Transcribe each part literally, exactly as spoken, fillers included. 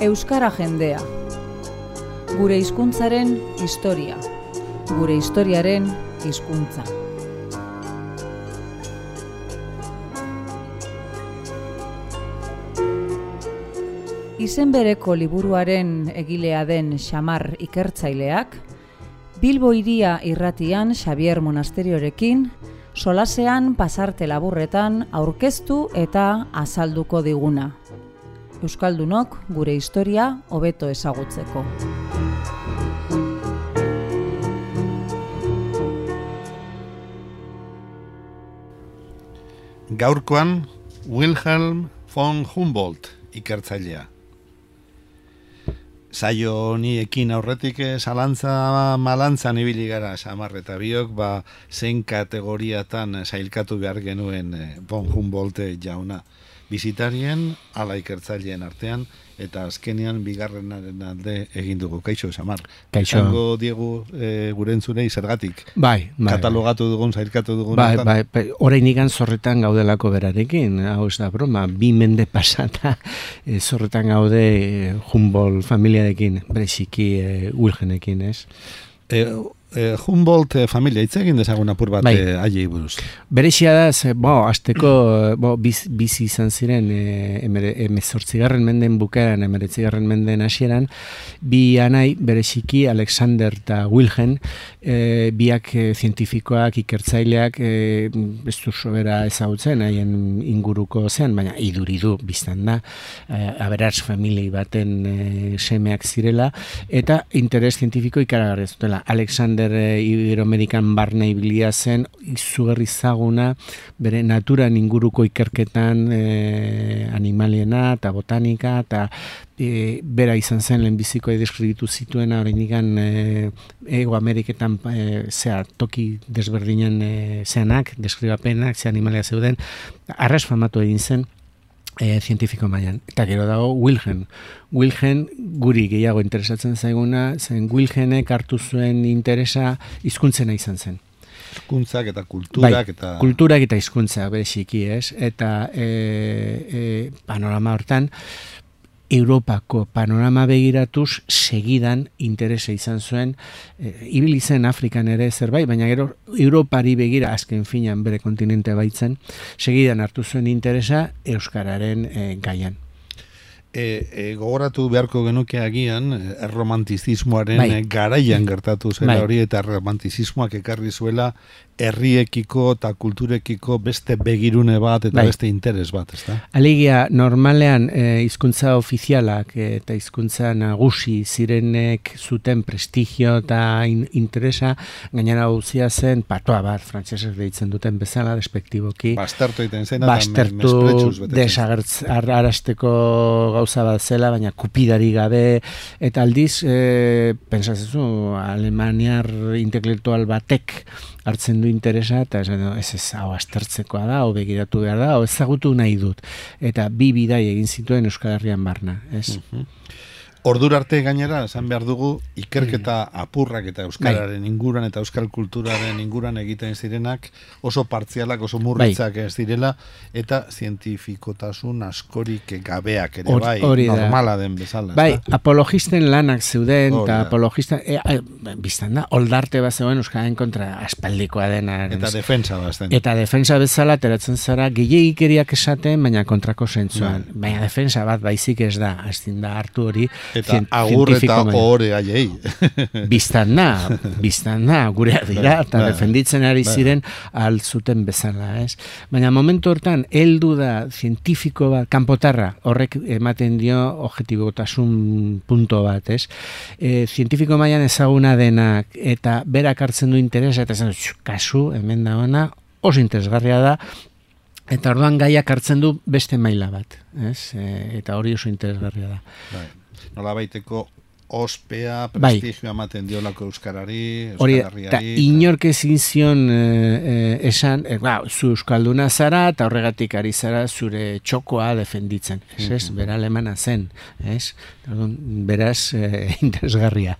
Euskara jendea. Gure hizkuntzaren historia. Gure historiaren hizkuntza. Izen bereko liburuaren egilea den Xamar ikertzaileak, Bilbo hiria irratian Xabier Monasteriorekin, solasean pasarte laburretan aurkeztu eta azalduko diguna. Euskaldunok gure historia hobeto ezagutzeko. Gaurkoan, Wilhelm von Humboldt ikertzailea. Saio honi ekin aurretik zalantza malantzan ibili gara Xamar eta biok, ba, zein kategoriatan sailkatu behar genuen von Humboldt jauna. Bizitarien, ala ikertzaileen artean, eta azkenean bigarrenaren alde egin dugu. Kaixo, Xamar. Kaixo. Zango diegu e, gure entzunei zergatik. Bai, bai. Katalogatu dugun, sailkatu dugun. Bai, bai, bai. Orain igan zorretan gaudelako berarekin. Hau ez da broma, bi mende pasata e, zorretan gaude e, Humboldt familiarekin, bereziki e, Wilhelmekin, ez? E, e, Humboldt e, familia, hitz egin dezagun apur bat bai. e, aiei buruz. Berezia da, ze, bo, azteko bo, biz, bizi izan ziren e, emezortzigarren menden bukaeran, emeretzigarren menden hasieran, bi anai, bereziki Alexander eta Wilhelm, e, biak e, zientifikoak, ikertzaileak, e, ez du sobera ezagutzen, haien inguruko zean, baina iduridu biztan da, e, aberats familiei baten e, semeak zirela, eta interes zientifiko ikaragarria zutela. Alexander Iberoamerikan barne ibilia zen, izugarri zaguna, bere naturan inguruko ikerketan e, animaliena eta botanika, eta e, bera izan zen lehenbiziko deskribitu zituena oraindikan e, Ego Ameriketan e, zea, toki desberdinen e, zeanak, deskribapenak, ze animalia zeuden, arras famatu egin zen, E, zientifiko mailan. Eta gero dago Wilhelm. Wilhelm guri gehiago interesatzen zaiguna, zen Wilhelmek hartu zuen interesa hizkuntzena izan zen. Hizkuntzak eta kulturak bai, eta... kulturak eta hizkuntza bereziki, ez? Eta e, e, panorama hortan, Europako panorama begiratuz segidan interesa izan zuen, e, ibili zen Afrikan ere zerbait, baina gero Europari begira azken finan bere kontinente baitzen, segidan hartu zuen interesa euskararen e, gaian. E, e, gogoratu beharko genuke agian erromantizismoaren bai. garaian gertatu zela bai. hori, eta erromantizismoak ekarri zuela herriekiko eta kulturekiko beste begirune bat eta bai. beste interes bat, ezta? Alegia, normalean e, hizkuntza ofizialak e, eta hizkuntza nagusi zirenek zuten prestigio eta in, interesa, gainera guzia zen patoa bat, frantsesek deitzen duten bezala, despektiboki. Bastertu egiten zena, bastertu, desagertz, arrasteko gauza bat zela, baina kupidari gabe, eta aldiz, e, pensatzezu, alemaniar intelektual batek hartzen du interesa, eta ez ez hau aztertzekoa da, hau begiratu behar da, hau ezagutu nahi dut. Eta bi bidai egin zituen Euskal Herrian barna, ez? Uh-huh. Ordura arte gainera, esan behar dugu, ikerketa apurrak eta euskararen inguran eta euskal kulturaren inguran egiten zirenak oso partzialak, oso murritzak ez direla, eta zientifikotasun askorik gabeak ere, bai, normala den bezala. Bai, apologisten lanak zeuden, eta apologisten, e, e, biztan da, oldarte bat zegoen euskaren kontra aspaldikoa dena. Eta defensa bazten. Eta defensa bezala teratzen zara, gehiagikeriak esaten, baina kontrako zentzuan. Bai. Baina defensa bat baizik ez da, aztin da hartu hori, eta agur eta ohore aiei. Biztan da, biztan da, gure dira, eta defenditzen ari ziren altzuten bezala, ez? Baina momentu hortan, heldu da zientifiko bat, kanpotarra, horrek ematen dio objetibotasun punto bat, ez? E, zientifiko mailan ezaguna denak, eta berak hartzen du interesa, eta esan, kasu, hemen da ona, oso interesgarria da, eta orduan gaiak hartzen du beste maila bat, ez? E, eta hori oso interesgarria da. Bai. Nola baiteko ospea, prestigioa ematen diolako euskarari, hori, euskararriari. Eta inork ezin zion e, esan, e, ba, zu euskalduna zara, eta horregatik ari zara zure txokoa defenditzen. Ez, ez, bera alemana zen, ez? Beraz, e, interesgarria.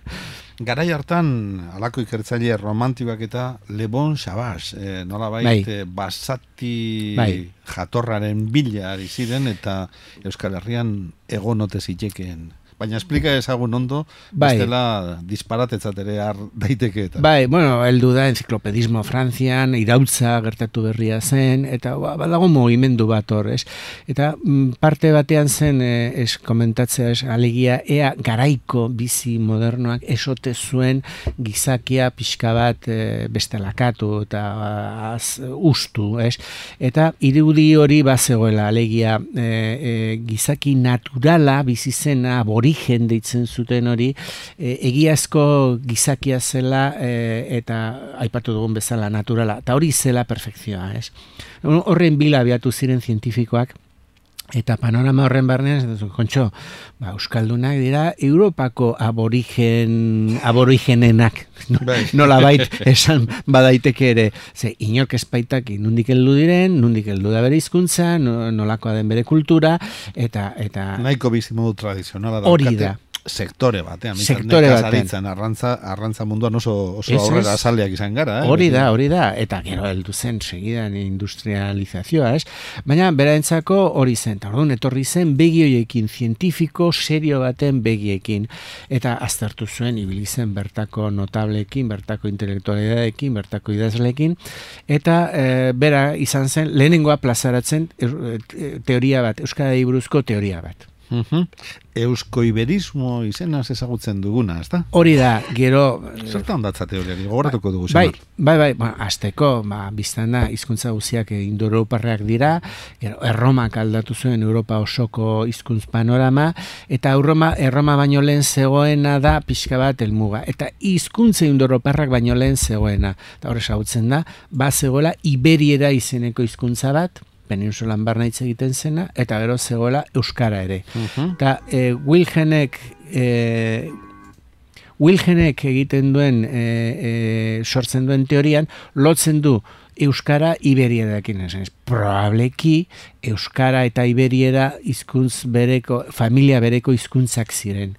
Garai hartan, alako ikertzaile romantikoak eta Le Bon Sauvage, eh, nola bait, bai. basati bai. jatorraren bila ari ziren, eta Euskal Herrian egon ote zitekeen Baina esplika ezagun ondo, bai. bestela disparatetzat ere har daiteke eta. Bai, bueno, heldu da enziklopedismo Frantzian, irautza gertatu berria zen, eta ba, badago mugimendu bat hor, ez? Eta mm, parte batean zen, eh, es komentatzea, es, alegia, ea garaiko bizi modernoak esote zuen gizakia pixka bat eh, bestelakatu eta az, ustu, ez? Eta irudi hori bazegoela, alegia, eh, eh, gizaki naturala bizi zena, aborigen deitzen zuten hori, e, egiazko gizakia zela e, eta aipatu dugun bezala naturala, eta hori zela perfekzioa, ez? Horren bila abiatu ziren zientifikoak, eta panorama horren barnean, kontxo, ba, euskaldunak dira Europako aborigen, aborigenenak, nola bait esan badaiteke ere, ze inork espaitak nundik heldu diren, nundik heldu da bere hizkuntza, nolakoa den bere kultura, eta... eta nahiko bizimodu tradizionala hori daukate. da. Sektore batean, sektore batean, arrantza, arrantza munduan oso, oso aurrera azaleak izan gara. Eh? Hori da, hori da, eta gero heldu zen segidan industrializazioa, ez? Baina beraentzako hori zen, eta orduan etorri zen begioiekin, zientifiko serio baten begiekin, eta aztertu zuen ibili zen bertako notableekin, bertako intelektualidadeekin, bertako idazleekin, eta e, bera izan zen lehenengoa plazaratzen teoria bat, Euskarari buruzko teoria bat. Uh-huh. Euskoiberismo izenaz ezagutzen duguna, ezta? Hori da, gero... Zertan datza teoriari, gogoratuko dugu bai, Xamar. Bai, bai, ba, azteko, ba, biztan da, hizkuntza guziak indoeuroparrak dira, gero, Erromak aldatu zuen Europa osoko hizkuntz panorama, eta Erroma, Erroma baino lehen zegoena da pixka bat helmuga, eta hizkuntza indoeuroparrak baino lehen zegoena, eta hor ezagutzen da, ba zegoela Iberiera izeneko hizkuntza bat, peninsulan barna hitz egiten zena, eta gero zegoela euskara ere. Eta uh-huh. e, Wilhelmek e, Wilhelmek egiten duen e, e, sortzen duen teorian, lotzen du euskara iberierarekin, ez? Probableki euskara eta iberiera hizkuntz bereko, familia bereko hizkuntzak ziren.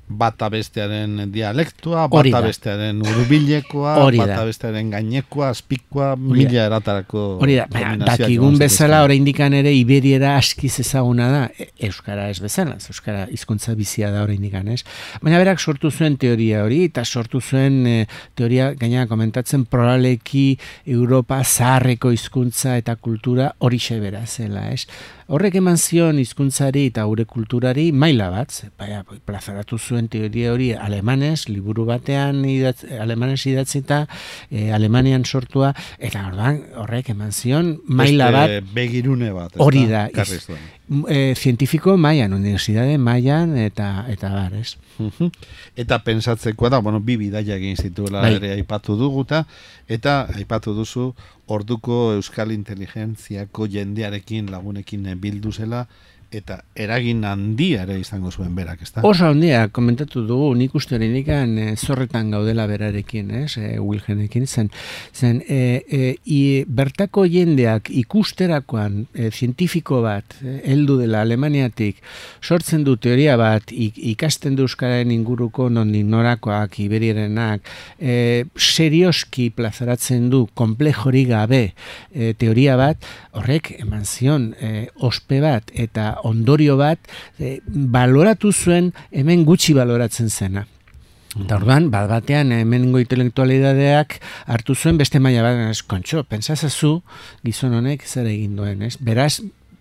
Bata bestearen dialektua, bata bestearen urbilekoa, bata bestearen gainekoa, azpikoa, mila eratarako. Hori da, dakigun bezala oraindikan ere iberiera askiz ezaguna da, euskara ez bezala, euskara hizkuntza bizia da oraindikan, ez? Baina berak sortu zuen teoria hori, eta sortu zuen e, teoria gainera komentatzen probableeki Europa zaharreko hizkuntza eta kultura horixe bera zela, ez? Horrek eman zion hizkuntzari eta gure kulturari maila bat, baina plazaratu zuen teoria hori alemanez, liburu batean idatz, alemanez idatzita, e, Alemanian sortua, eta orduan horrek eman zion maila bat. Beste begirune bat. Hori da. E, zientifiko mailan, universidade mailan, eta eta bar, ez? Uh-huh. Eta pensatzekoa da, bueno, bi bidaia egin zituela bai. Ere aipatu duguta, eta aipatu duzu orduko euskal inteligentziako jendearekin lagunekin bildu zela, eta eragin handia ere izango zuen berak, ezta? Oso handia, komentatu dugu, nik uste horinikan e, zorretan gaudela berarekin, ez, e, Wilhelmekin, zen, zen e, e, i, bertako jendeak ikusterakoan e, zientifiko bat, e, heldu dela Alemaniatik, sortzen du teoria bat, ik, ikasten du euskararen inguruko nondik norakoak, iberierenak, e, serioski plazaratzen du, komplejori gabe e, teoria bat, horrek eman zion e, ospe bat, eta ondorio bat, e, baloratu zuen hemen gutxi baloratzen zena. Eta orduan, bat batean hemengo intelektualidadeak hartu zuen beste maila bat, ez, kontxo, pentsazazu gizon honek zer egin duen, ez? Beraz,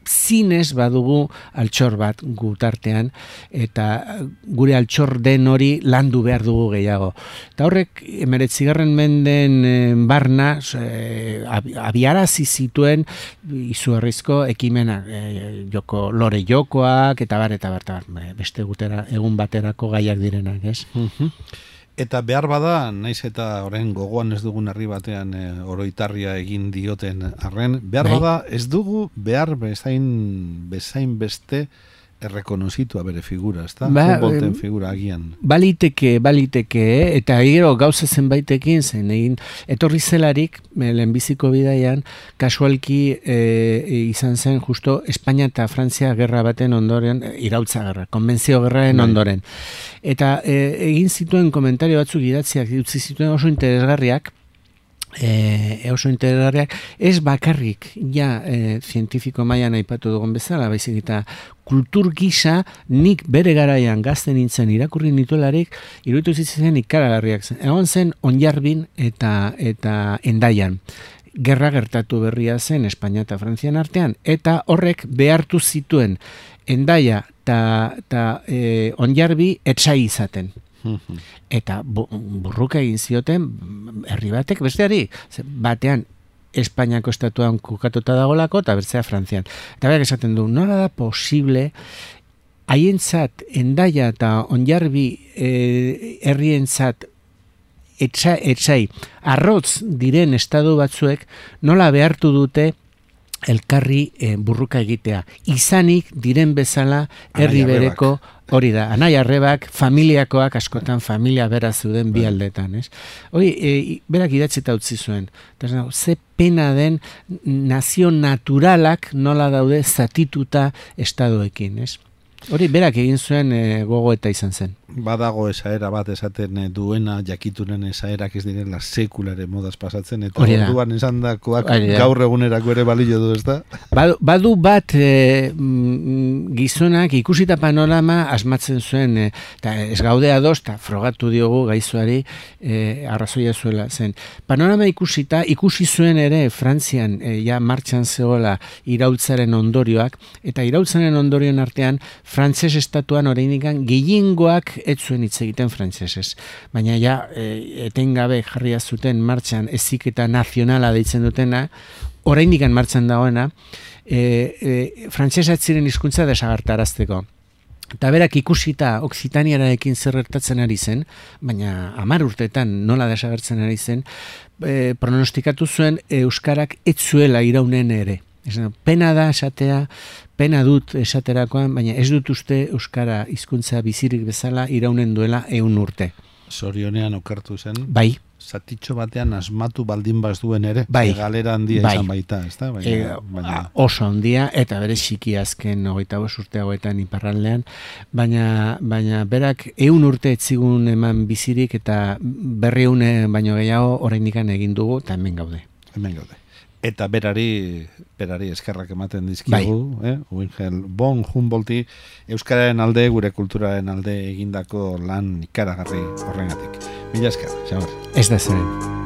zinez badugu altxor bat gutartean, eta gure altxor den hori landu behar dugu gehiago. Eta horrek, emeretzigarren menden barna, e, abiarazi zituen izugarrizko ekimena, e, joko, lore jokoak, eta bar, eta bar, eta bar, beste gutera, egun baterako gaiak direnak, ez? Uh-huh. Eta behar bada, naiz eta orain gogoan ez dugun herri batean e, oroitarria egin dioten arren, behar bada ez dugu behar bezain, bezain beste errekonozitua bere figura, ezta? Ba, Humboldten figura agian. Baliteke, baliteke, eta gero gauza zenbaitekin zen, egin, etorri zelarik, lehenbiziko bidaian, kasualki e, izan zen justo Espainia eta Frantzia gerra baten ondoren, irautza gerra, konbentzio gerraen ondoren. Eta e, egin zituen komentario batzuk idatziak utzi zituen oso interesgarriak, E, oso interesgarriak, ez bakarrik ja e, zientifiko mailan aipatu dugun bezala, baizik eta kultur gisa nik bere garaian gazten nintzen irakurri nituelarik, iruditu zitzen ikaragarriak zen. Egon zen Onjarbin eta eta Hendaian. Gerra gertatu berria zen Espainia eta Frantzian artean, eta horrek behartu zituen Hendaia eta e, Onjarbi etsai izaten. Eta burruka egin zioten herri batek besteari, batean Espainiako estatuan kokatuta dagolako eta bertzea Frantzian. Eta berak esaten du, nola da posible haientzat Hendaia eta Onjarbi eh, herrientzat etxa, etxai arrotz diren estatu batzuek nola behartu dute elkarri eh, burruka egitea. Izanik diren bezala herri bereko hori da, anai arrebak, familiakoak, askotan familia bera zuden bi aldetan, ez? Hori, e, berak idatzita utzi zuen. Eta, ze pena den nazio naturalak nola daude zatituta estadoekin, ez? Hori, berak egin zuen e, gogoeta izan zen. Badago esaera bat esaten e, duena jakitunen esaerak ez direla sekulare modaz pasatzen, eta orduan esan dakoak gaur egunerako ere balio du, ez da? Badu, badu bat e, gizonak ikusita panorama asmatzen zuen, e, eta ez gaude ados, eta frogatu diogu gaizuari e, arrazoia zuela zen. Panorama ikusita, ikusi zuen ere Frantzian e, ja martxan zegoela iraultzaren ondorioak, eta iraultzaren ondorioen artean frantses estatuan oraindikan gehiengoak ez zuen hitz egiten frantsesez. Baina ja e, etengabe jarria zuten martxan heziketa nazionala deitzen dutena, oraindikan martxan dagoena, e, e, frantsesa ez ziren hizkuntza desagertarazteko. Eta berak ikusita Okzitaniarekin zer gertatzen ari zen, baina hamar urteetan nola desagertzen ari zen, e, pronostikatu zuen euskarak ez zuela iraunen ere. Pena da esatea, pena dut esaterakoan, baina ez dut uste euskara hizkuntza bizirik bezala iraunen duela ehun urte. Zorionean okertu zen. Bai. Zatitxo batean asmatu baldin baz duen ere. Bai. Galera handia bai. izan baita, ez da? Baina, e, baina... Oso handia, eta bere txiki azken hogeita bost urte hauetan iparraldean, baina, baina berak ehun urte etzigun eman bizirik eta berriune baino gehiago oraindikan egin dugu, eta hemen gaude. Hemen gaude. Eta berari, berari eskerrak ematen dizkigu, bai. eh? Wingel von Humboldti euskararen alde, gure kulturaren alde egindako lan ikaragarri horrengatik. Mila esker, Xamar. Ez da zeren.